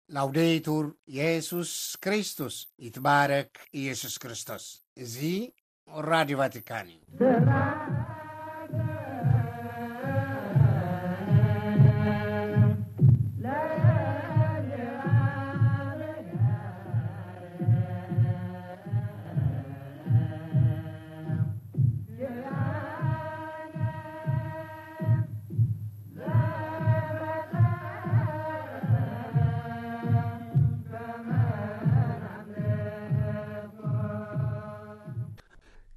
ላውዴቱር የሱስ ክርስቶስ፣ ይትባረክ ኢየሱስ ክርስቶስ። እዚ ራዲዮ ቫቲካን እዩ።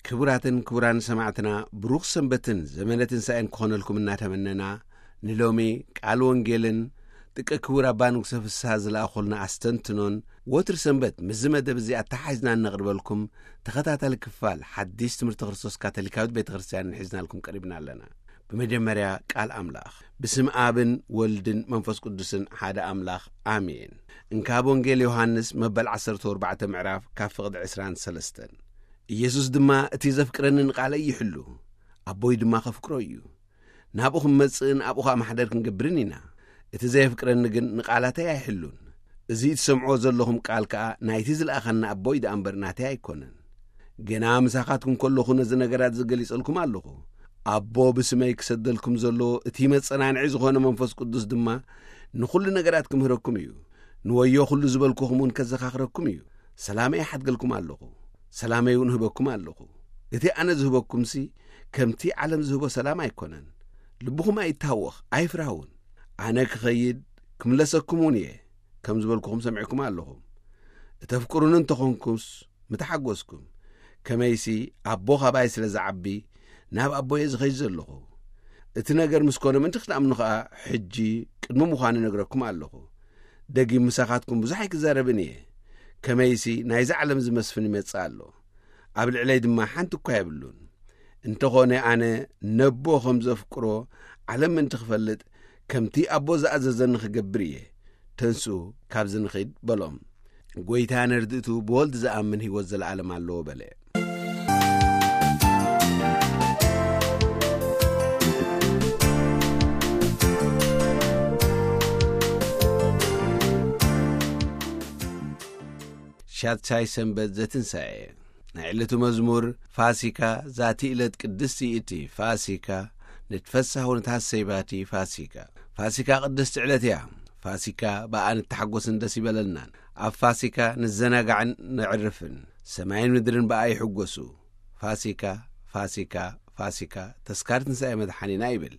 ክቡራትን ክቡራን ሰማዕትና፣ ብሩኽ ሰንበትን ዘመነ ትንሳኤን ክኾነልኩም እናተመነና፣ ንሎሚ ቃል ወንጌልን ጥቀ ክቡር ኣባ ንጉሰ ፍስሃ ዝለኣኹልና ኣስተንትኖን፣ ወትር ሰንበት ምስዚ መደብ እዚ ኣተሓሒዝና እነቕርበልኩም ተኸታታሊ ክፋል ሓዲስ ትምህርቲ ክርስቶስ ካቶሊካዊት ቤተ ክርስቲያን ሒዝናልኩም ቀሪብና ኣለና። ብመጀመርያ ቃል ኣምላኽ። ብስም ኣብን ወልድን መንፈስ ቅዱስን ሓደ ኣምላኽ ኣሜን። እንካብ ወንጌል ዮሃንስ መበል ዓሰርተ ኣርባዕተ ምዕራፍ ካብ ፍቕዲ ዕስራን ሰለስተን። ኢየሱስ ድማ፣ "እቲ ዘፍቅረኒ ንቓለይ ይሕሉ፣ ኣቦይ ድማ ከፍቅሮ እዩ። ናብኡ ክንመጽእን ኣብኡ ኸኣ ማሕደር ክንገብርን ኢና። እቲ ዘየፍቅረኒ ግን ንቓላተይ ኣይሕሉን። እዚ እትሰምዕዎ ዘለኹም ቃል ከኣ ናይቲ ዝለኣኸኒ ኣቦይ ደኣ እምበር ናተይ ኣይኮነን። ገና ምሳኻትኩም ከለኹ ነዚ ነገራት እዚ ገሊጸልኩም ኣለኹ። ኣቦ ብስመይ ክሰደልኩም ዘሎ እቲ መጸናንዒ ዝኾነ መንፈስ ቅዱስ ድማ ንኹሉ ነገራት ክምህረኩም እዩ። ንወዮ ኩሉ ዝበልኩኹም እውን ከዘኻኽረኩም እዩ። ሰላመይ እሓድገልኩም ኣለኹ፣ ሰላመይ እውን እህበኩም ኣለኹ። እቲ ኣነ ዝህበኩምሲ ከምቲ ዓለም ዝህቦ ሰላም ኣይኮነን። ልብኹም ኣይታወኽ፣ ኣይፍራህ እውን። ኣነ ክኸይድ ክምለሰኩም እውን እየ፣ ከም ዝበልኩኹም ሰሚዕኩም ኣለኹም። እተፍቅሩኒ እንተኾንኩምስ ምተሓጎስኩም። ከመይሲ ኣቦ ኻባይ ስለ ዝዓቢ ናብ ኣቦ እየ ዝኸይድ ዘለኹ። እቲ ነገር ምስ ኮነ ምእንቲ ክትኣምኑ ኸኣ ሕጂ ቅድሚ ምዃኑ እነግረኩም ኣለኹ። ደጊም ምሳኻትኩም ብዙሕ ኣይክዛረብን እየ። ከመይሲ ናይዚ ዓለም ዝመስፍን ይመጽእ ኣሎ፣ ኣብ ልዕለይ ድማ ሓንቲ እኳ የብሉን። እንተኾነ ኣነ ነቦ ኸም ዘፍቅሮ ዓለም ምእንቲ ክፈልጥ፣ ከምቲ ኣቦ ዝኣዘዘኒ ክገብር እየ። ተንስኡ፣ ካብዚ ንኺድ" በሎም። "ጐይታ ነርድእቱ ብወልድ ዝኣምን ህይወት ዘለኣለም ኣለዎ" በለ። ሻድሻይ ሰንበት ዘትንሳኤ። ናይ ዕለቱ መዝሙር። ፋሲካ፣ ዛቲ ዕለት ቅድስቲ እቲ ፋሲካ፣ ንትፈሳህ ወንትሃሰይ ባቲ ፋሲካ። ፋሲካ ቅድስቲ ዕለት እያ። ፋሲካ ብኣኣ ንተሓጎስን ደስ ይበለልናን። ኣብ ፋሲካ ንዘናጋዕን ነዕርፍን። ሰማይን ምድርን ብኣ ይሕጎሱ። ፋሲካ፣ ፋሲካ፣ ፋሲካ፣ ተስካር ትንሳኤ መድሓኒና ይብል።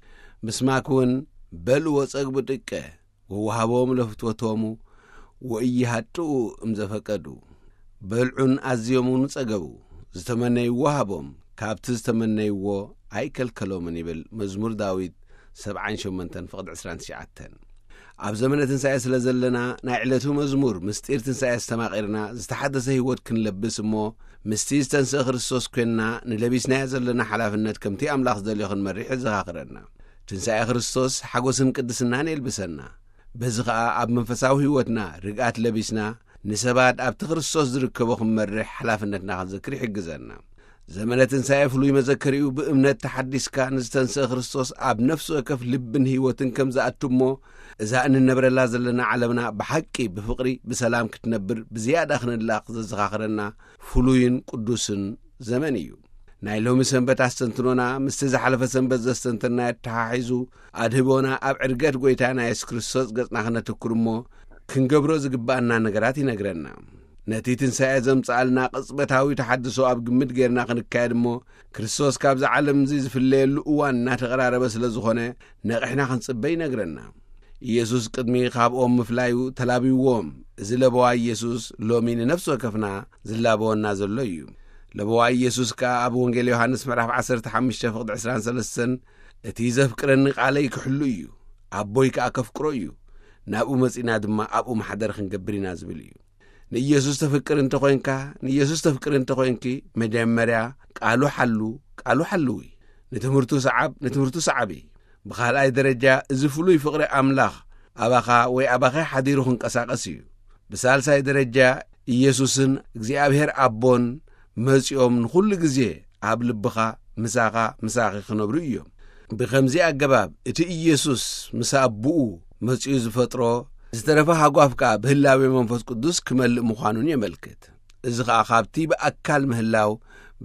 ምስማክ እውን በልዎ ጸግቡ ጥቀ፣ ወወሃቦም ለፍትወቶሙ ወኢይሃጥኡ እምዘፈቀዱ። በልዑን ኣዝዮም እውን ጸገቡ። ዝተመነይዎ ሃቦም፣ ካብቲ ዝተመነይዎ ኣይከልከሎምን ይብል መዝሙር ዳዊት ሰብዓን ሸሞንተን ፍቕዲ ዕስራን ትሽዓተን። ኣብ ዘመነ ትንሳኤ ስለ ዘለና፣ ናይ ዕለቱ መዝሙር ምስጢር ትንሳኤ ኣስተማቒርና ዝተሓደሰ ህይወት ክንለብስ እሞ፣ ምስቲ ዝተንስአ ክርስቶስ ኴንና ንለቢስናዮ ዘለና ሓላፍነት ከምቲ ኣምላኽ ዝደልዮ ክንመርሕ የዘኻኽረና። ትንሳኤ ክርስቶስ ሓጎስን ቅድስናን የልብሰና። በዚ ኸኣ ኣብ መንፈሳዊ ህይወትና ርግኣት ለቢስና፣ ንሰባት ኣብቲ ክርስቶስ ዝርከቦ ክንመርሕ ሓላፍነትና ክንዝክር ይሕግዘና። ዘመነ ትንሳኤ ፍሉይ መዘከሪኡ ብእምነት ተሓዲስካ ንዝተንስአ ክርስቶስ ኣብ ነፍሲ ወከፍ ልብን ህይወትን ከም ዝኣቱ እሞ፣ እዛ እንነብረላ ዘለና ዓለምና ብሓቂ ብፍቕሪ ብሰላም ክትነብር ብዝያዳ ክንላቕ ዘዘኻኽረና ፍሉይን ቅዱስን ዘመን እዩ። ናይ ሎሚ ሰንበት ኣስተንትኖና ምስቲ ዝሓለፈ ሰንበት ዘስተንተናዮ ተተሓሒዙ፣ ኣድህቦና ኣብ ዕርገት ጐይታና የሱስ ክርስቶስ ገጽና ክነትኩር እሞ፣ ክንገብሮ ዝግብኣና ነገራት ይነግረና። ነቲ ትንሳኤ ዘምጽኣልና ቅጽበታዊ ተሓድሶ ኣብ ግምት ጌርና ክንካየድ እሞ፣ ክርስቶስ ካብዚ ዓለም እዚ ዝፍለየሉ እዋን እናተቐራረበ ስለ ዝኾነ፣ ነቒሕና ክንጽበ ይነግረና። ኢየሱስ ቅድሚ ካብኦም ምፍላዩ ተላቢዎም። እዚ ለበዋ ኢየሱስ ሎሚ ንነፍሲ ወከፍና ዝላበወና ዘሎ እዩ። ለበዋ ኢየሱስ ከኣ ኣብ ወንጌል ዮሃንስ ምዕራፍ ዓሰርተ ሓሙሽተ ፍቕዲ ዕስራን ሰለስተን፣ "እቲ ዘፍቅረኒ ቃለይ ክሕሉ እዩ፣ ኣቦይ ከኣ ከፍቅሮ እዩ፣ ናብኡ መጺእና ድማ ኣብኡ ማሕደር ክንገብር ኢና" ዝብል እዩ። ንኢየሱስ ተፍቅር እንተኾይንካ፣ ንኢየሱስ ተፍቅር እንተኾይንኪ፣ መጀመርያ ቃሉ ሓሉ፣ ቃሉ ሓልዊ። ንትምህርቱ ሰዓብ፣ ንትምህርቱ ሰዓቢ። ብኻልኣይ ደረጃ፣ እዚ ፍሉይ ፍቕሪ ኣምላኽ ኣባኻ ወይ ኣባኺ ሓዲሩ ክንቀሳቐስ እዩ። ብሳልሳይ ደረጃ፣ ኢየሱስን እግዚኣብሔር ኣቦን መጺኦም ንኹሉ ግዜ ኣብ ልብኻ፣ ምሳኻ፣ ምሳኺ ክነብሩ እዮም። ብኸምዚ ኣገባብ፣ እቲ ኢየሱስ ምስ ኣቦኡ መጺኡ ዝፈጥሮ ዝተረፈ ሃጓፍ ከኣ ብህላዌ መንፈስ ቅዱስ ክመልእ ምዃኑን የመልክት። እዚ ኸኣ ካብቲ ብኣካል ምህላው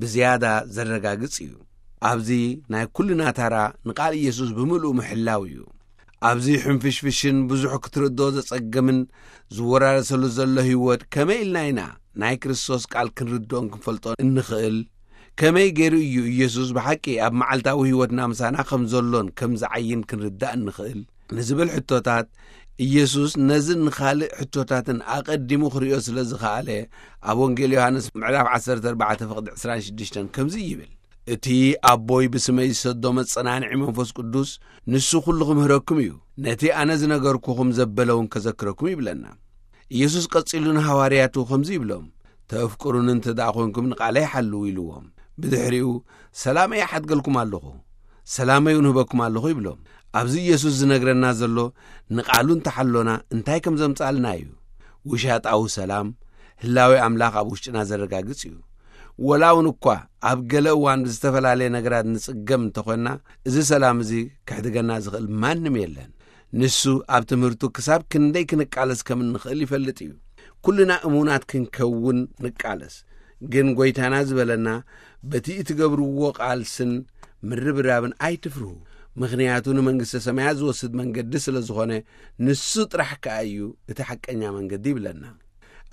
ብዝያዳ ዘረጋግጽ እዩ። ኣብዚ ናይ ኩልና ታራ ንቓል ኢየሱስ ብምሉኡ ምሕላው እዩ። ኣብዚ ሕንፍሽፍሽን ብዙሕ ክትርድኦ ዘጸግምን ዝወራረሰሉ ዘሎ ህይወት ከመይ ኢልና ኢና ናይ ክርስቶስ ቃል ክንርድኦን ክንፈልጦን እንኽእል? ከመይ ገይሩ እዩ ኢየሱስ ብሓቂ ኣብ መዓልታዊ ህይወትና ምሳና ከም ዘሎን ከም ዝዓይን ክንርዳእ እንኽእል? ንዝብል ሕቶታት፣ ኢየሱስ ነዝን ንኻልእ ሕቶታትን ኣቐዲሙ ክርእዮ ስለ ዝኸኣለ፣ ኣብ ወንጌል ዮሃንስ ምዕራፍ ዓሰርተ ኣርባዕተ ፍቕዲ ዕስራን ሽዱሽተን ከምዚ ይብል፣ "እቲ ኣቦይ ብስመይ ዝሰዶ መጸናንዒ መንፈስ ቅዱስ፣ ንሱ ኩሉ ክምህረኩም እዩ። ነቲ ኣነ ዝነገርኩኹም ዘበለ እውን ከዘክረኩም" ይብለና። ኢየሱስ ቀጺሉ ንሃዋርያቱ ከምዚ ይብሎም፣ "ተፍቅሩኒ እንተ ደኣ ኾንኩም ንቓለይ ሓልዉ" ኢልዎም። ብድሕሪኡ፣ "ሰላመይ እሓድገልኩም ኣለኹ፣ ሰላመይ እውን ህበኩም ኣለኹ" ይብሎም። ኣብዚ ኢየሱስ ዝነግረና ዘሎ፣ ንቓሉ እንተሓሎና እንታይ ከም ዘምጻልና እዩ። ውሻጣዊ ሰላም፣ ህላዌ ኣምላኽ ኣብ ውሽጥና ዘረጋግጽ እዩ። ወላ እውን እኳ ኣብ ገለ እዋን ብዝተፈላለየ ነገራት ንጽገም እንተኾንና፣ እዚ ሰላም እዚ ክሕድገና ዝኽእል ማንም የለን። ንሱ ኣብ ትምህርቱ ክሳብ ክንደይ ክንቃለስ ከም እንኽእል ይፈልጥ እዩ። ኩልና እሙናት ክንከውን ንቃለስ። ግን ጐይታና ዝበለና፣ "በቲ እትገብርዎ ቃልስን ምርብራብን ኣይትፍርሁ፣ ምኽንያቱ ንመንግስተ ሰማያት ዝወስድ መንገዲ ስለ ዝኾነ፣ ንሱ ጥራሕ ከኣ እዩ እቲ ሓቀኛ መንገዲ" ይብለና።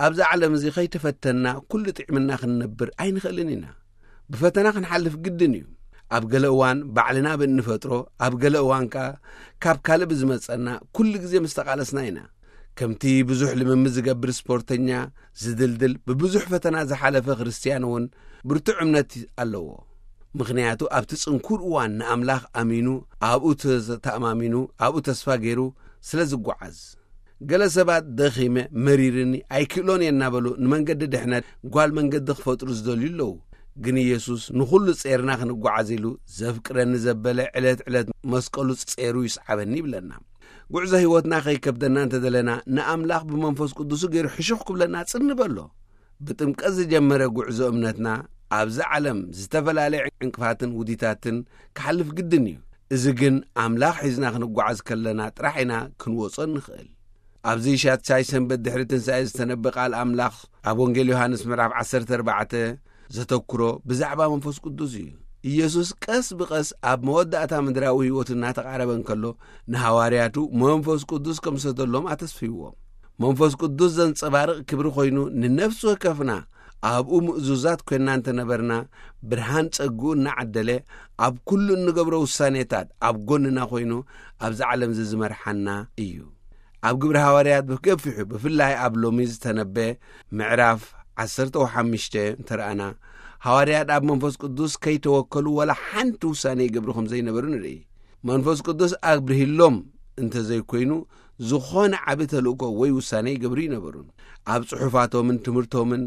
ኣብዚ ዓለም እዚ ከይተፈተና ኩሉ ጥዕምና ክንነብር ኣይንኽእልን ኢና። ብፈተና ክንሓልፍ ግድን እዩ። ኣብ ገለ እዋን ባዕልና ብእንፈጥሮ፣ ኣብ ገለ እዋን ከኣ ካብ ካልእ ብዝመጸና ኩሉ ግዜ ምስ ተቓለስና ኢና። ከምቲ ብዙሕ ልምምድ ዝገብር ስፖርተኛ ዝድልድል፣ ብብዙሕ ፈተና ዝሓለፈ ክርስትያን እውን ብርቱዕ እምነት ኣለዎ። ምኽንያቱ ኣብቲ ጽንኩር እዋን ንኣምላኽ ኣሚኑ፣ ኣብኡ ተ-፣ ተኣማሚኑ፣ ኣብኡ ተስፋ ገይሩ ስለ ዝጓዓዝ። ገለ ሰባት "ደኺመ፣ መሪርኒ፣ ኣይክእሎን እየ" እናበሉ ንመንገዲ ድሕነት ጓል መንገዲ ክፈጥሩ ዝደልዩ ኣለዉ። ግን ኢየሱስ ንኹሉ ጼርና ክንጓዓዝ ኢሉ ዘፍቅረኒ ዘበለ ዕለት ዕለት መስቀሉ ጼሩ ይስዓበኒ ይብለና። ጉዕዞ ህይወትና ከይከብደና እንተደለና ንኣምላኽ ብመንፈስ ቅዱሱ ገይሩ ሕሹኽ ክብለና ጽን ንበሎ። ብጥምቀት ዝጀመረ ጉዕዞ እምነትና ኣብዚ ዓለም ዝተፈላለየ ዕንቅፋትን ውዲታትን ክሓልፍ ግድን እዩ። እዚ ግን ኣምላኽ ሒዝና ክንጓዓዝ ከለና ጥራሕ ኢና ክንወጾ እንኽእል። ኣብዚ ሻድሻይ ሰንበት ድሕሪ ትንሳኤ ዝተነበ ቃል ኣምላኽ ኣብ ወንጌል ዮሃንስ ምዕራፍ ዓሰርተ ኣርባዕተ ዘተኩሮ ብዛዕባ መንፈስ ቅዱስ እዩ። ኢየሱስ ቀስ ብቐስ ኣብ መወዳእታ ምድራዊ ህይወቱ እናተቓረበ እንከሎ፣ ንሃዋርያቱ መንፈስ ቅዱስ ከም ዝሰደሎም ኣተስፍይዎም። መንፈስ ቅዱስ ዘንጸባርቕ ክብሪ ኮይኑ፣ ንነፍሲ ወከፍና ኣብኡ ምእዙዛት ኮይንና እንተነበርና፣ ብርሃን ጸግኡ እናዓደለ፣ ኣብ ኩሉ እንገብሮ ውሳኔታት ኣብ ጎንና ኮይኑ፣ ኣብዚ ዓለም እዚ ዝመርሓና እዩ። ኣብ ግብሪ ሃዋርያት ብገፊሑ፣ ብፍላይ ኣብ ሎሚ ዝተነበ ምዕራፍ ዓሰርተ ሓሙሽተ እንተረኣና፣ ሃዋርያት ኣብ መንፈስ ቅዱስ ከይተወከሉ ዋላ ሓንቲ ውሳኔ ይገብሩ ከም ዘይነበሩ ንርኢ። መንፈስ ቅዱስ ኣብርሂሎም እንተዘይኮይኑ፣ ዝኾነ ዓቢ ተልእኮ ወይ ውሳኔ ይገብሩ ይነበሩን። ኣብ ጽሑፋቶምን ትምህርቶምን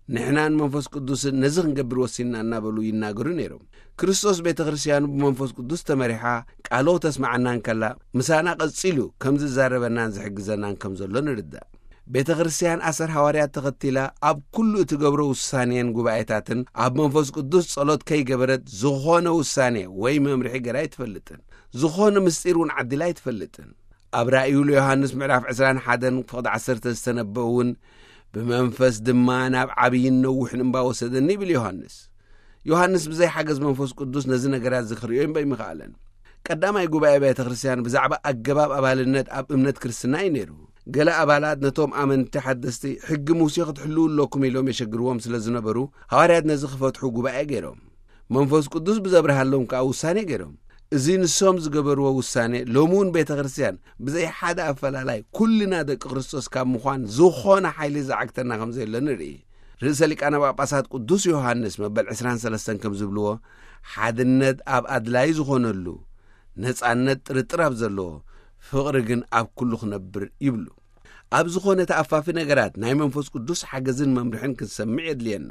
ንሕና ንመንፈስ ቅዱስን ነዚ ክንገብር ወሲንና እናበሉ ይናገሩ ነይሮም። ክርስቶስ ቤተ ክርስትያኑ ብመንፈስ ቅዱስ ተመሪሓ ቃሉ ተስማዓና እንከላ፣ ምሳና ቀጺሉ ከም ዝዛረበናን ዝሕግዘናን ከም ዘሎ ንርዳእ። ቤተ ክርስትያን ኣሰር ሃዋርያት ተኸቲላ ኣብ ኩሉ እትገብሮ ውሳኔን ጉባኤታትን ኣብ መንፈስ ቅዱስ ጸሎት ከይገበረት ዝኾነ ውሳኔ ወይ መምርሒ ገይራ ኣይትፈልጥን። ዝኾነ ምስጢር እውን ዓዲላ ኣይትፈልጥን። ኣብ ራእዩ ለዮሃንስ ምዕራፍ ዕስራን ሓደን ፍቕዲ ዓሰርተ ዝተነበ እውን፣ "ብመንፈስ ድማ ናብ ዓብይን ነዊሕን እምባ ወሰደኒ" ይብል ዮሃንስ። ዮሃንስ ብዘይ ሓገዝ መንፈስ ቅዱስ ነዚ ነገራት እዚ ክርእዮ እምበር ኣይምኸኣለን። ቀዳማይ ጉባኤ ቤተ ክርስትያን ብዛዕባ ኣገባብ ኣባልነት ኣብ እምነት ክርስትና እዩ ነይሩ። ገለ ኣባላት ነቶም ኣመንቲ ሓደስቲ፣ "ሕጊ ሙሴ ክትሕልዉ ኣለኩም" ኢሎም የሸግርዎም ስለ ዝነበሩ፣ ሃዋርያት ነዚ ክፈትሑ ጉባኤ ገይሮም። መንፈስ ቅዱስ ብዘብርሃሎም ከኣ ውሳኔ ገይሮም። እዚ ንሶም ዝገበርዎ ውሳኔ፣ ሎሚ እውን ቤተ ክርስትያን ብዘይ ሓደ ኣፈላላይ ኩልና ደቂ ክርስቶስ ካብ ምዃን ዝኾነ ሓይሊ ዝዓግተና ከም ዘየሎ ንርኢ። ርእሰ ሊቃነ ጳጳሳት ቅዱስ ዮሃንስ መበል ዕስራን ሰለስተን ከም ዝብልዎ፣ "ሓድነት ኣብ ኣድላዪ ዝኾነሉ፣ ነጻነት ጥርጥር ኣብ ዘለዎ፣ ፍቕሪ ግን ኣብ ኩሉ ክነብር" ይብሉ። ኣብ ዝኾነ ተኣፋፊ ነገራት ናይ መንፈስ ቅዱስ ሓገዝን መምርሕን ክንሰምዕ የድልየና።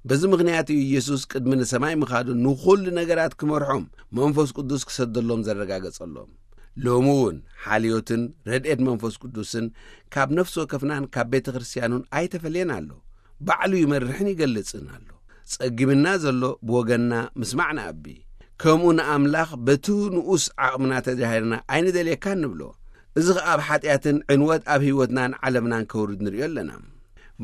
በዚ ምኽንያት እዩ ኢየሱስ ቅድሚ ንሰማይ ምኻዱ ንኹሉ ነገራት ክመርሖም መንፈስ ቅዱስ ክሰደሎም ዘረጋገጸሎም። ሎሚ እውን ሓልዮትን ረድኤት መንፈስ ቅዱስን ካብ ነፍሲ ወከፍናን ካብ ቤተ ክርስትያኑን ኣይተፈልየን ኣሎ። ባዕሉ ይመርሕን ይገልጽን ኣሎ። ጸጊምና ዘሎ ብወገንና ምስማዕ ንኣቢ። ከምኡ ንኣምላኽ በቲ ንኡስ ዓቕምና ተጃሂርና ኣይንደልየካን ንብሎ። እዚ ኸኣ ኣብ ሓጢኣትን ዕንወት ኣብ ህይወትናን ዓለምናን ከውርድ ንርእዮ ኣለና።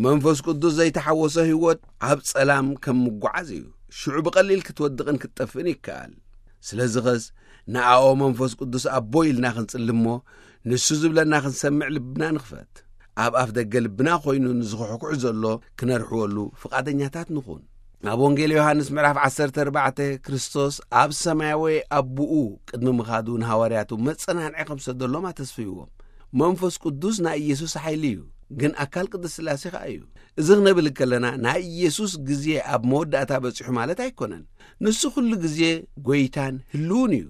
መንፈስ ቅዱስ ዘይተሓወሶ ህይወት ኣብ ጸላም ከም ምጓዓዝ እዩ። ሽዑ ብቐሊል ክትወድቕን ክትጠፍእን ይከኣል። ስለዚ ኸስ ንኣኦ መንፈስ ቅዱስ ኣቦ ኢልና ክንጽሊ እሞ፣ ንሱ ዝብለና ክንሰምዕ ልብና ንኽፈት። ኣብ ኣፍ ደገ ልብና ኾይኑ ንዝኹሕኩሕ ዘሎ ክነርሕወሉ ፍቓደኛታት ንኹን። ኣብ ወንጌል ዮሃንስ ምዕራፍ ዓሰርተ ኣርባዕተ፣ ክርስቶስ ኣብ ሰማያዊ ኣቦኡ ቅድሚ ምኻዱ ንሃዋርያቱ መጸናንዒ ከም ዝሰደሎም ኣተስፍይዎም። መንፈስ ቅዱስ ናይ ኢየሱስ ሓይሊ እዩ፣ ግን ኣካል ቅድስት ስላሴ ኸኣ እዩ። እዚ ክንብል ከለና ናይ ኢየሱስ ግዜ ኣብ መወዳእታ በጺሑ ማለት ኣይኮነን። ንሱ ኩሉ ግዜ ጎይታን ህልውን እዩ።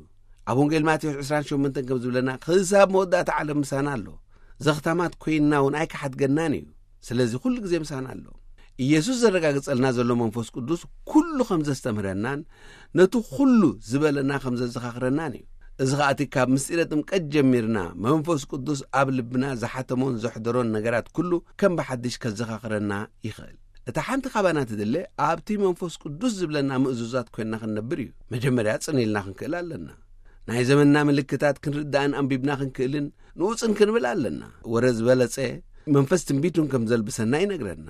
ኣብ ወንጌል ማቴዎስ ዕስራን ሸሞንተን ከም ዝብለና፣ ክሳብ መወዳእታ ዓለም ምሳና ኣሎ። ዘኽታማት ኮይንና እውን ኣይክሓድገናን እዩ። ስለዚ ኩሉ ግዜ ምሳና ኣሎ። ኢየሱስ ዘረጋግጸልና ዘሎ መንፈስ ቅዱስ ኩሉ ከም ዘስተምህረናን ነቲ ኩሉ ዝበለና ከም ዘዘኻኽረናን እዩ። እዚ ኸኣ እቲ ካብ ምስጢረ ጥምቀት ጀሚርና መንፈስ ቅዱስ ኣብ ልብና ዝሓተሞን ዘሕደሮን ነገራት ኩሉ ከም ብሓድሽ ከዘኻኽረና ይኽእል። እታ ሓንቲ ካባና ትድለ ኣብቲ መንፈስ ቅዱስ ዝብለና ምእዙዛት ኮይንና ክንነብር እዩ። መጀመርያ ጽን ኢልና ክንክእል ኣለና። ናይ ዘመንና ምልክታት ክንርዳእን ኣንቢብና ክንክእልን ንኡጽን ክንብል ኣለና። ወረ ዝበለጸ መንፈስ ትንቢቱን ከም ዘልብሰና ይነግረና።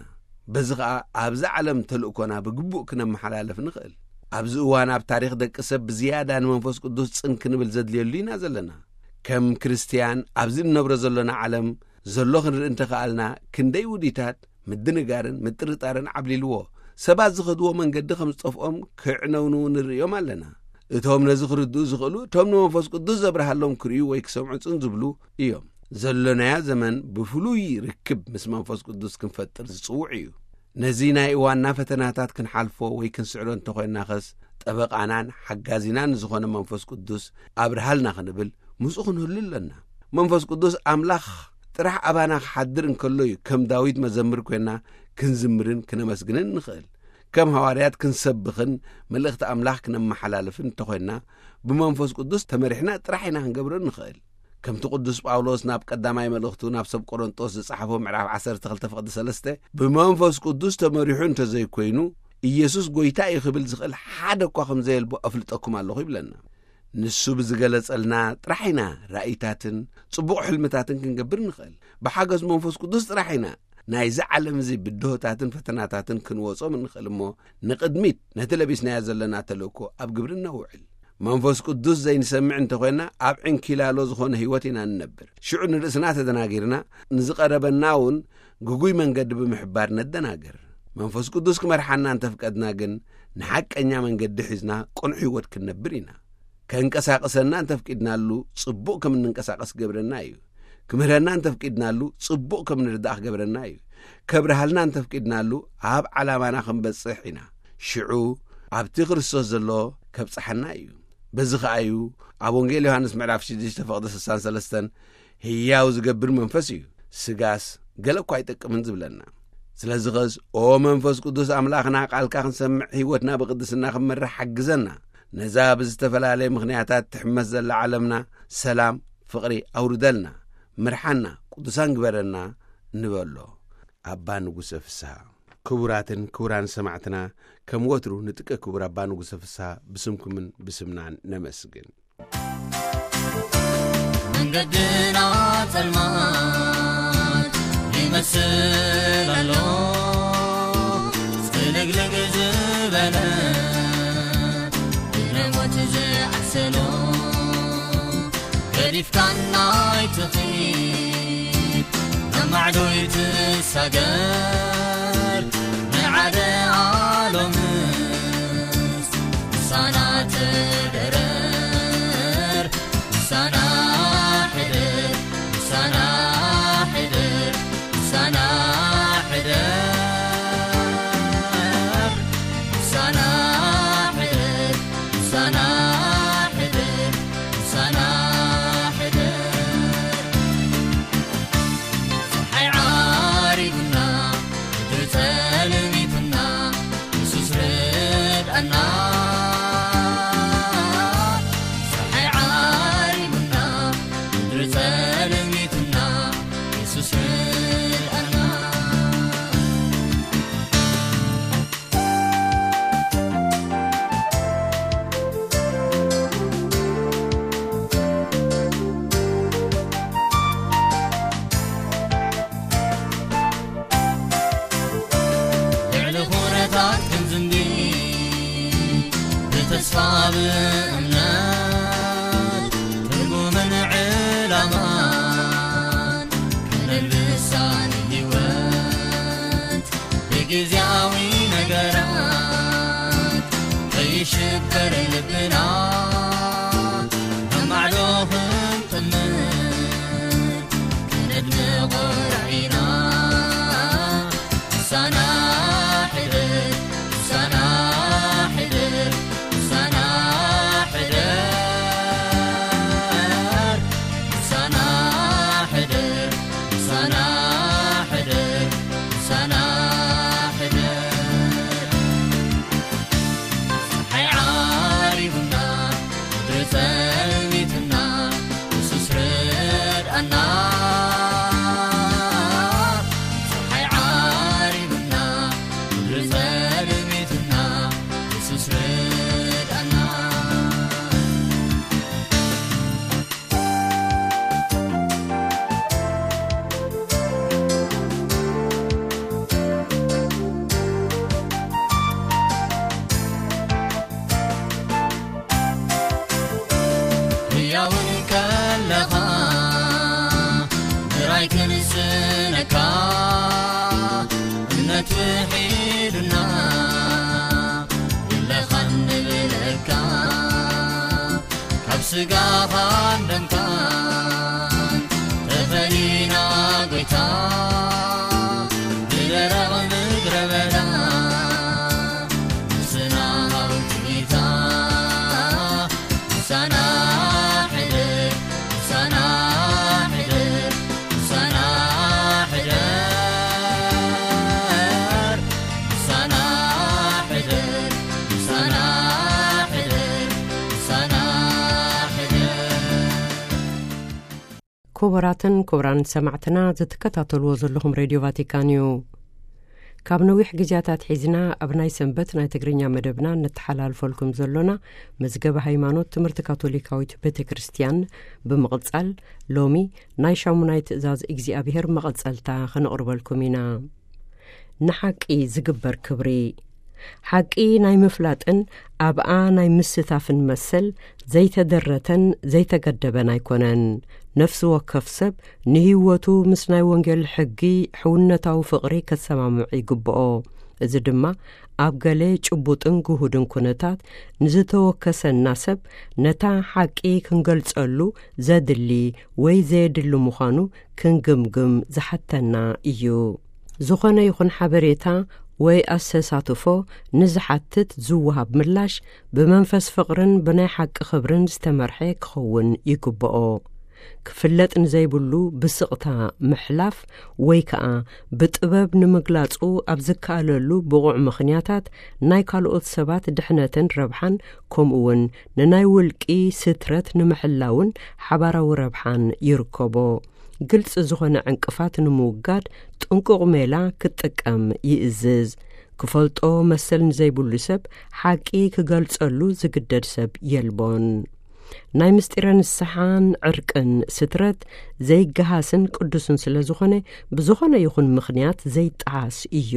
በዚ ኸኣ ኣብዚ ዓለም ተልእኮና ብግቡእ ክነመሓላልፍ ንኽእል። ኣብዚ እዋን ኣብ ታሪኽ ደቂ ሰብ ብዝያዳ ንመንፈስ ቅዱስ ጽን ክንብል ዘድልየሉ ኢና ዘለና። ከም ክርስትያን ኣብዚ እንነብሮ ዘሎና ዓለም ዘሎ ክንርኢ እንተኸኣልና፣ ክንደይ ውዲታት ምድንጋርን ምጥርጣርን ዓብሊልዎ፣ ሰባት ዝኸድዎ መንገዲ ከም ዝጠፍኦም ክዕነውንው ንርእዮም ኣለና። እቶም ነዚ ክርድኡ ዝኽእሉ፣ እቶም ንመንፈስ ቅዱስ ዘብርሃሎም ክርእዩ ወይ ክሰምዑ ጽን ዝብሉ እዮም። ዘሎናዮ ዘመን ብፍሉይ ርክብ ምስ መንፈስ ቅዱስ ክንፈጥር ዝጽውዕ እዩ። ነዚ ናይ እዋንና ፈተናታት ክንሓልፎ ወይ ክንስዕሮ እንተኾይንና ኸስ፣ ጠበቓናን ሓጋዚናን ዝኾነ መንፈስ ቅዱስ ኣብርሃልና ክንብል ምስኡ ክንህሉ ኣለና። መንፈስ ቅዱስ ኣምላኽ ጥራሕ ኣባና ክሓድር እንከሎ እዩ ከም ዳዊት መዘምር ኮይና ክንዝምርን ክነመስግንን ንኽእል። ከም ሃዋርያት ክንሰብኽን መልእኽቲ ኣምላኽ ክነመሓላልፍን እንተኾይንና፣ ብመንፈስ ቅዱስ ተመሪሕና ጥራሕ ኢና ክንገብሮ ንኽእል። ከምቲ ቅዱስ ጳውሎስ ናብ ቀዳማይ መልእኽቱ ናብ ሰብ ቆሮንጦስ ዝጸሓፎ ምዕራፍ ዓሰርተ ክልተ ፍቕዲ ሰለስተ፣ "ብመንፈስ ቅዱስ ተመሪሑ እንተዘይኮይኑ፣ ኢየሱስ ጐይታ እዩ ክብል ዝኽእል ሓደ እኳ ከም ዘየልቦ ኣፍልጠኩም ኣለኹ" ይብለና። ንሱ ብዝገለጸልና ጥራሕ ኢና ራእይታትን ጽቡቕ ሕልምታትን ክንገብር ንኽእል። ብሓገዝ መንፈስ ቅዱስ ጥራሕ ኢና ናይዚ ዓለም እዚ ብድሆታትን ፈተናታትን ክንወጾም እንኽእል እሞ፣ ንቕድሚት ነቲ ለቢስናዮ ዘለና ተልእኮ ኣብ ግብሪ ነውዕል። መንፈስ ቅዱስ ዘይንሰምዕ እንተኾይና፣ ኣብ ዕንኪላሎ ዝኾነ ህይወት ኢና ንነብር። ሽዑ ንርእስና ተደናጊርና፣ ንዝቐረበና እውን ግጉይ መንገዲ ብምሕባር ነደናግር። መንፈስ ቅዱስ ክመርሓና እንተፍቀድና ግን፣ ንሓቀኛ መንገዲ ሒዝና ቅኑዕ ህይወት ክንነብር ኢና። ከንቀሳቕሰና እንተፍቂድናሉ፣ ጽቡቕ ከም እንንቀሳቐስ ክገብረና እዩ። ክምህረና እንተፍቂድናሉ፣ ጽቡቕ ከም ንርዳእ ክገብረና እዩ። ከብርሃልና እንተፍቂድናሉ፣ ኣብ ዓላማና ክንበጽሕ ኢና። ሽዑ ኣብቲ ክርስቶስ ዘሎ ከብጽሓና እዩ። በዚ ኸኣ እዩ ኣብ ወንጌል ዮሃንስ ምዕራፍ ሽዱሽተ ፍቕዲ ስሳን ሰለስተን፣ "ህያው ዝገብር መንፈስ እዩ፣ ስጋስ ገለ እኳ ኣይጠቅምን" ዝብለና። ስለዚ ኸስ፣ "ኦ መንፈስ ቅዱስ ኣምላኽና፣ ቃልካ ክንሰምዕ፣ ህይወትና ብቅድስና ክንመርሕ ሓግዘና። ነዛ ብዝተፈላለየ ምኽንያታት ትሕመስ ዘላ ዓለምና ሰላም፣ ፍቕሪ ኣውርደልና፣ ምርሓና፣ ቅዱሳን ግበረና" ንበሎ። ኣባ ንጉሰ ፍስሃ። ክቡራትን ክቡራን ሰማዕትና፣ ከም ወትሩ ንጥቀ ክቡር ኣባ ንጉሰ ፍስሃ ብስምኩምን ብስምናን ነመስግን። መንገድና ጸልማት ይመስል ኣሎ፣ ጽልግልግ ዝበለ ብሞት ዝዓሰሎ፣ ገዲፍካና ኣይትኺድ፣ ነማዕዶ ይትሳገር፣ ንዓደ ኣሎምስ ምሳና ተደረር፣ ምሳና ሕደር፣ ምሳና ሕደር፣ ምሳና ሕደር፣ ምሳና ሕደር፣ ምሳና ሕደር፣ ምሳና ሕደር። ጸሓይ ዓሪቡና ግዜያዊ ነገራት ከይሽበር ልብና፣ ኣብ ማዕዶ ክንጥምር ክነድምቖ ራኢና። ምሳና ሕደር፣ ምሳና ሕደር፣ ምሳና ሕደር፣ ምሳና ሕደር፣ ምሳና ሕደር፣ ምሳና ሕደር። ጸሓይ ዓሪቡና፣ ምድሪ ጸልሚትና፣ የሱስ ርድኣና። ጸሓይ ዓሪቡና፣ ምድሪ ጸልሚትና፣ የሱስ ርድኣና። ህያውን ከለኻ ምራይ ክንስነካ፣ እምነት ውሒዱና፣ የለኻን ንብለካ። ካብ ስጋኻን ደምካን ተፈሊና፣ ጎይታ፣ ብደረቕ ምድረ በዳ ምስና ኣውጽኢታ። ምሳና ሕደር፣ ምሳና ሕደር፣ ምሳና ሕደር፣ ምሳና ሕደር፣ ምሳና ሕደር፣ ምሳና ሕደር። ክቡራትን ክቡራን ሰማዕትና፣ ዝትከታተልዎ ዘለኹም ሬድዮ ቫቲካን እዩ። ካብ ነዊሕ ግዜያት ኣትሒዝና ኣብ ናይ ሰንበት ናይ ትግርኛ መደብና ነተሓላልፈልኩም ዘሎና መዝገበ ሃይማኖት ትምህርቲ ካቶሊካዊት ቤተ ክርስቲያን ብምቕጻል፣ ሎሚ ናይ ሻሙናይ ትእዛዝ እግዚኣብሔር መቐጸልታ ኸነቕርበልኩም ኢና። ንሓቂ ዝግበር ክብሪ። ሓቂ ናይ ምፍላጥን ኣብኣ ናይ ምስታፍን መሰል ዘይተደረተን ዘይተገደበን ኣይኮነን። ነፍሲ ወከፍ ሰብ ንህይወቱ ምስ ናይ ወንጌል ሕጊ ሕውነታዊ ፍቕሪ ከሰማምዕ ይግብኦ። እዚ ድማ ኣብ ገለ ጭቡጥን ግሁድን ኩነታት ንዝተወከሰና ሰብ ነታ ሓቂ ክንገልጸሉ ዘድሊ ወይ ዘየድሊ ምዃኑ ክንግምግም ዝሓተና እዩ። ዝኾነ ይኹን ሓበሬታ ወይ ኣሰሳትፎ ንዝሓትት ዝወሃብ ምላሽ ብመንፈስ ፍቕርን ብናይ ሓቂ ክብርን ዝተመርሐ ክኸውን ይግብኦ። ክፍለጥ ንዘይብሉ ብስቕታ ምሕላፍ ወይ ከኣ ብጥበብ ንምግላጹ ኣብ ዝከኣለሉ ብቑዕ ምኽንያታት ናይ ካልኦት ሰባት ድሕነትን ረብሓን ከምኡውን ንናይ ውልቂ ስትረት ንምሕላውን ሓባራዊ ረብሓን ይርከቦ። ግልጺ ዝኾነ ዕንቅፋት ንምውጋድ ጥንቁቕ ሜላ ክጥቀም ይእዝዝ። ክፈልጦ መሰል ንዘይብሉ ሰብ ሓቂ ክገልጸሉ ዝግደድ ሰብ የልቦን። ናይ ምስጢረ ንስሓን ዕርቅን ስትረት ዘይገሃስን ቅዱስን ስለ ዝኾነ፣ ብዝኾነ ይኹን ምኽንያት ዘይጠዓስ እዩ።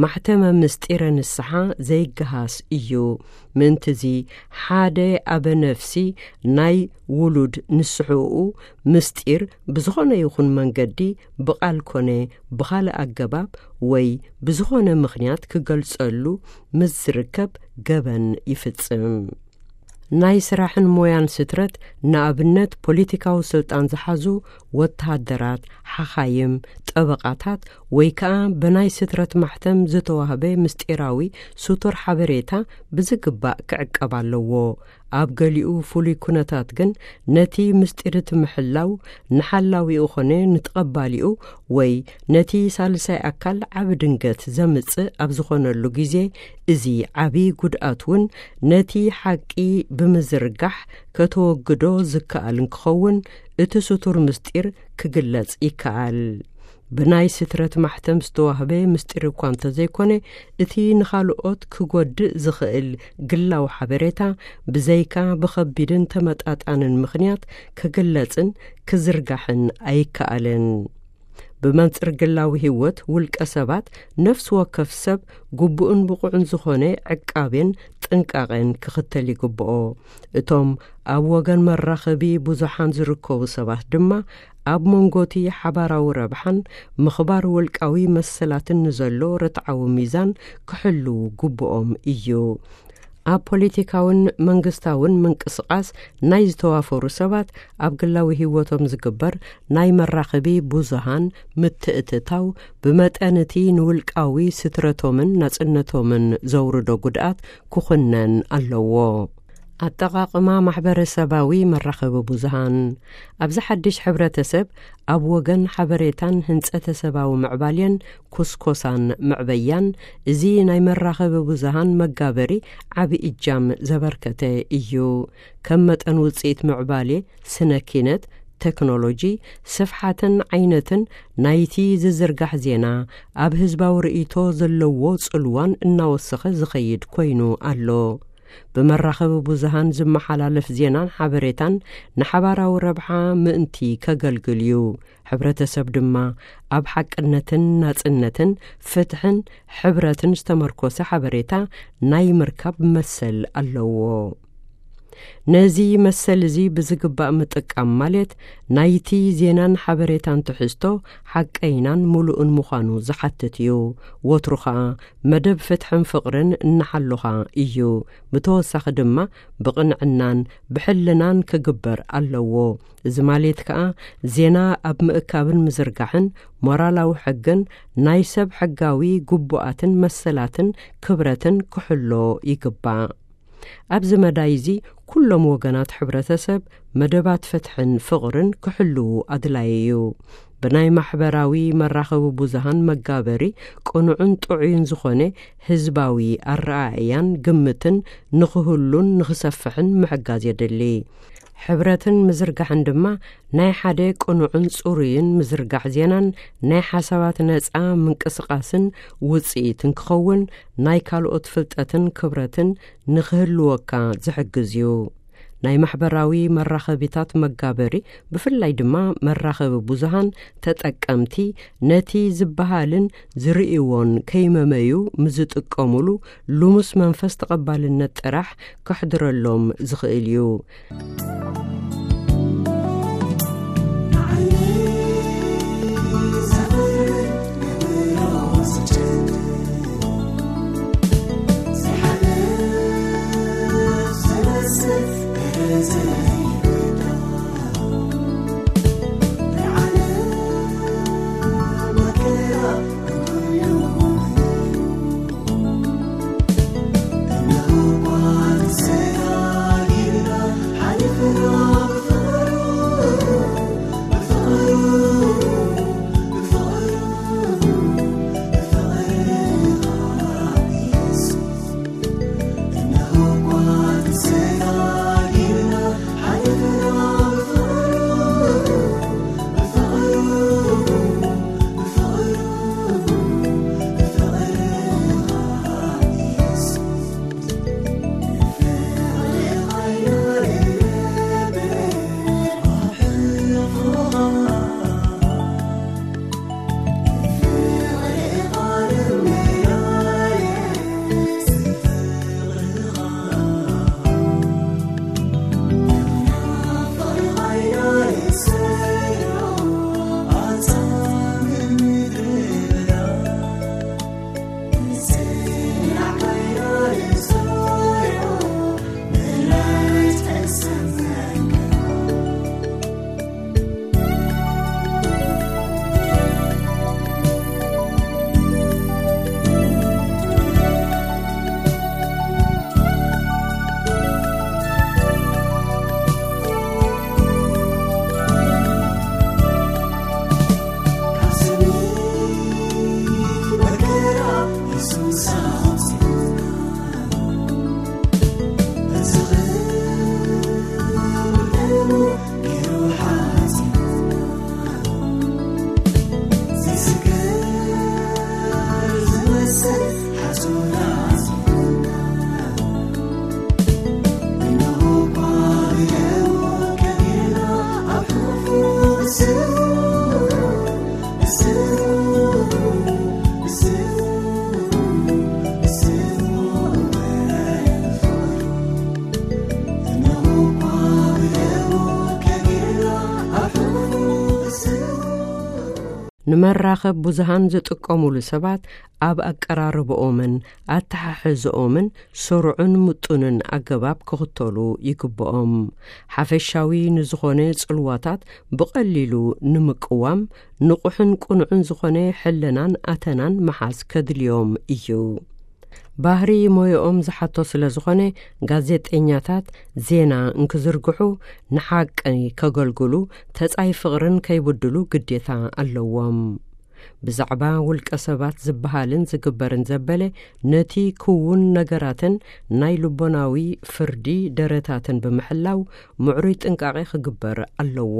ማሕተመ ምስጢረ ንስሓ ዘይገሃስ እዩ። ምእንትዚ ሓደ ኣበ ነፍሲ ናይ ውሉድ ንስሕኡ ምስጢር ብዝኾነ ይኹን መንገዲ ብቓል ኮነ ብኻልእ ኣገባብ ወይ ብዝኾነ ምኽንያት ክገልጸሉ ምስ ዝርከብ ገበን ይፍጽም። ናይ ስራሕን ሞያን ስትረት፣ ንኣብነት ፖለቲካዊ ስልጣን ዝሓዙ ወተሃደራት፣ ሓኻይም፣ ጠበቓታት ወይ ከኣ ብናይ ስትረት ማሕተም ዝተዋህበ ምስጢራዊ ስቱር ሓበሬታ ብዝግባእ ክዕቀብ ኣለዎ። ኣብ ገሊኡ ፍሉይ ኩነታት ግን ነቲ ምስጢር እቲ ምሕላው ንሓላዊኡ ኾነ ንተቐባሊኡ ወይ ነቲ ሳልሳይ ኣካል ዓቢ ድንገት ዘምጽእ ኣብ ዝኾነሉ ግዜ፣ እዚ ዓቢ ጉድኣት እውን ነቲ ሓቂ ብምዝርጋሕ ከተወግዶ ዝከኣል እንክኸውን፣ እቲ ስቱር ምስጢር ክግለጽ ይከኣል። ብናይ ስትረት ማሕተም ዝተዋህበ ምስጢር እኳ እንተዘይኮነ፣ እቲ ንኻልኦት ክጎድእ ዝኽእል ግላዊ ሓበሬታ ብዘይካ ብኸቢድን ተመጣጣንን ምኽንያት ክግለጽን ክዝርጋሕን ኣይከኣልን። ብመንጽር ግላዊ ህይወት ውልቀ ሰባት፣ ነፍሲ ወከፍ ሰብ ግቡእን ብቑዕን ዝኾነ ዕቃቤን ጥንቃቄን ክኽተል ይግብኦ። እቶም ኣብ ወገን መራኸቢ ብዙሓን ዝርከቡ ሰባት ድማ ኣብ መንጎቲ ሓባራዊ ረብሓን ምኽባር ውልቃዊ መሰላትን ንዘሎ ርትዓዊ ሚዛን ክሕልዉ ግቡኦም እዩ። ኣብ ፖለቲካውን መንግስታውን ምንቅስቓስ ናይ ዝተዋፈሩ ሰባት፣ ኣብ ግላዊ ህይወቶም ዝግበር ናይ መራኸቢ ብዙሃን ምትእትታው፣ ብመጠን እቲ ንውልቃዊ ስትረቶምን ናጽነቶምን ዘውርዶ ጉድኣት ክኹነን ኣለዎ። ኣጠቓቕማ ማሕበረሰባዊ መራኸቢ ብዙሃን። ኣብዚ ሓድሽ ሕብረተሰብ፣ ኣብ ወገን ሓበሬታን ህንጸተ ሰባዊ ምዕባሌን ኩስኮሳን መዕበያን፣ እዚ ናይ መራኸቢ ብዙሃን መጋበሪ ዓቢ እጃም ዘበርከተ እዩ። ከም መጠን ውጽኢት ምዕባሌ ስነ ኪነት፣ ቴክኖሎጂ፣ ስፍሓትን ዓይነትን ናይቲ ዝዝርጋሕ ዜና፣ ኣብ ህዝባዊ ርእይቶ ዘለዎ ጽልዋን እናወሰኸ ዝኸይድ ኮይኑ ኣሎ። ብመራኸቢ ብዙሃን ዝመሓላለፍ ዜናን ሓበሬታን ንሓባራዊ ረብሓ ምእንቲ ከገልግል እዩ። ሕብረተሰብ ድማ ኣብ ሓቅነትን ናጽነትን ፍትሕን ሕብረትን ዝተመርኮሰ ሓበሬታ ናይ ምርካብ መሰል ኣለዎ። ነዚ መሰል እዚ ብዝግባእ ምጥቃም ማለት ናይቲ ዜናን ሓበሬታን ትሕዝቶ ሓቀይናን ምሉእን ምዃኑ ዝሓትት እዩ። ወትሩ ኸኣ መደብ ፍትሕን ፍቕርን እናሓሎኻ እዩ። ብተወሳኺ ድማ ብቕንዕናን ብሕልናን ክግበር ኣለዎ። እዚ ማለት ከኣ ዜና ኣብ ምእካብን ምዝርጋሕን ሞራላዊ ሕግን ናይ ሰብ ሕጋዊ ግቡኣትን መሰላትን ክብረትን ክሕሎ ይግባእ። ኣብዚ መዳይ እዚ ኩሎም ወገናት ሕብረተሰብ መደባት ፍትሕን ፍቕርን ክሕልዉ ኣድላዪ እዩ። ብናይ ማሕበራዊ መራኸቢ ብዙሃን መጋበሪ ቅኑዕን ጥዑይን ዝኾነ ህዝባዊ ኣረኣእያን ግምትን ንኽህሉን ንኽሰፍሕን ምሕጋዝ የድሊ። ሕብረትን ምዝርጋሕን ድማ ናይ ሓደ ቅኑዕን ጽሩይን ምዝርጋሕ ዜናን ናይ ሓሳባት ነጻ ምንቅስቓስን ውጽኢትን ክኸውን፣ ናይ ካልኦት ፍልጠትን ክብረትን ንኽህልወካ ዝሕግዝ እዩ። ናይ ማሕበራዊ መራኸቢታት መጋበሪ፣ ብፍላይ ድማ መራኸቢ ብዙሃን ተጠቀምቲ፣ ነቲ ዝበሃልን ዝርእይዎን ከይመመዩ ምዝጥቀሙሉ ልሙስ መንፈስ ተቐባልነት ጥራሕ ከሕድረሎም ዝኽእል እዩ። ንመራኸብ ብዙሃን ዝጥቀሙሉ ሰባት ኣብ ኣቀራርብኦምን ኣተሓሕዝኦምን ስሩዕን ምጡንን ኣገባብ ክኽተሉ ይግብኦም። ሓፈሻዊ ንዝኾነ ጽልዋታት ብቐሊሉ ንምቅዋም ንቑሕን ቅኑዕን ዝኾነ ሕልናን ኣተናን መሓዝ ከድልዮም እዩ። ባህሪ ሞያኦም ዝሓቶ ስለ ዝኾነ፣ ጋዜጠኛታት ዜና እንክዝርግሑ፣ ንሓቂ ከገልግሉ፣ ተጻይ ፍቕርን ከይብድሉ ግዴታ ኣለዎም። ብዛዕባ ውልቀ ሰባት ዝበሃልን ዝግበርን ዘበለ፣ ነቲ ክውን ነገራትን ናይ ልቦናዊ ፍርዲ ደረታትን ብምሕላው፣ ምዕሩይ ጥንቃቄ ክግበር ኣለዎ።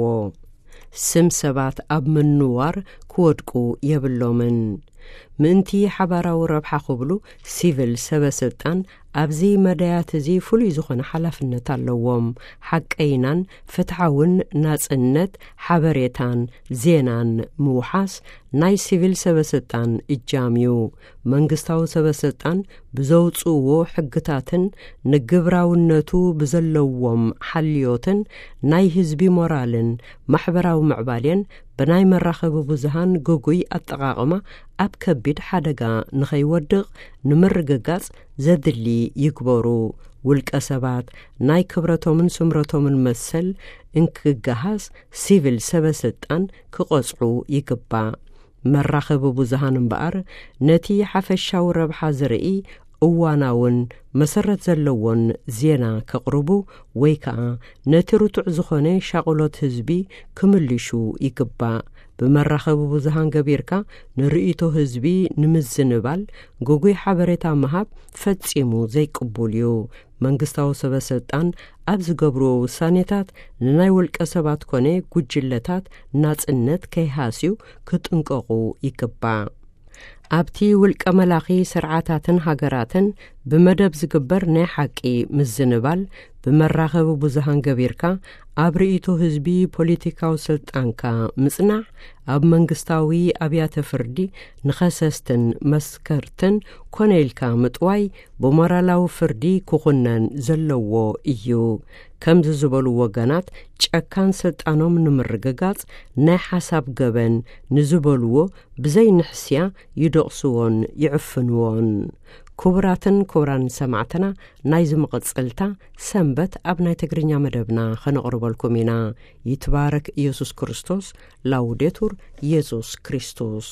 ስም ሰባት ኣብ ምንዋር ክወድቁ የብሎምን። ምእንቲ ሓባራዊ ረብሓ ክብሉ፣ ሲቪል ሰበ ስልጣን ኣብዚ መዳያት እዚ ፍሉይ ዝኾነ ሓላፍነት ኣለዎም። ሓቀይናን ፍትሓውን ናጽነት ሓበሬታን ዜናን ምውሓስ ናይ ሲቪል ሰበ ስልጣን እጃም እዩ። መንግስታዊ ሰበ ስልጣን ብዘውጽእዎ ሕግታትን ንግብራውነቱ ብዘለዎም ሓልዮትን ናይ ህዝቢ ሞራልን ማሕበራዊ ምዕባሌን ብናይ መራኸቢ ብዙሃን ግጉይ ኣጠቓቕማ ኣብ ከቢድ ሓደጋ ንኸይወድቕ ንምርግጋጽ ዘድሊ ይግበሩ። ውልቀ ሰባት ናይ ክብረቶምን ስምረቶምን መሰል እንክገሃስ፣ ሲቪል ሰበ ስልጣን ክቐጽዑ ይግባእ። መራኸቢ ብዙሃን እምበኣር፣ ነቲ ሓፈሻዊ ረብሓ ዝርኢ እዋናውን መሰረት ዘለዎን ዜና ከቕርቡ ወይ ከኣ ነቲ ርቱዕ ዝኾነ ሻቕሎት ህዝቢ ክምልሹ ይግባእ። ብመራኸቢ ብዙሃን ገቢርካ ንርእይቶ ህዝቢ ንምዝንባል ግጉይ ሓበሬታ ምሃብ ፈጺሙ ዘይቅቡል እዩ። መንግስታዊ ሰበ ስልጣን ኣብ ዝገብርዎ ውሳኔታት ንናይ ውልቀ ሰባት ኮነ ጉጅለታት ናጽነት ከይሃስዩ ክጥንቀቑ ይግባእ። ኣብቲ ውልቀ መላኺ ስርዓታትን ሃገራትን ብመደብ ዝግበር ናይ ሓቂ ምዝንባል ብመራኸቢ ብዙሃን ገቢርካ ኣብ ርእይቶ ህዝቢ ፖለቲካዊ ስልጣንካ ምጽናዕ፣ ኣብ መንግስታዊ ኣብያተ ፍርዲ ንኸሰስትን መስከርትን ኮነ ኢልካ ምጥዋይ ብሞራላዊ ፍርዲ ክኹነን ዘለዎ እዩ። ከምዚ ዝበሉ ወገናት ጨካን ስልጣኖም ንምርግጋጽ ናይ ሓሳብ ገበን ንዝበልዎ ብዘይ ንሕስያ ይደቕስዎን ይዕፍንዎን። ክቡራትን ክቡራን ሰማዕትና፣ ናይዚ መቐጸልታ ሰንበት ኣብ ናይ ትግርኛ መደብና ከነቕርበልኩም ኢና። ይትባረክ ኢየሱስ ክርስቶስ። ላውዴቱር ኢየሱስ ክርስቶስ።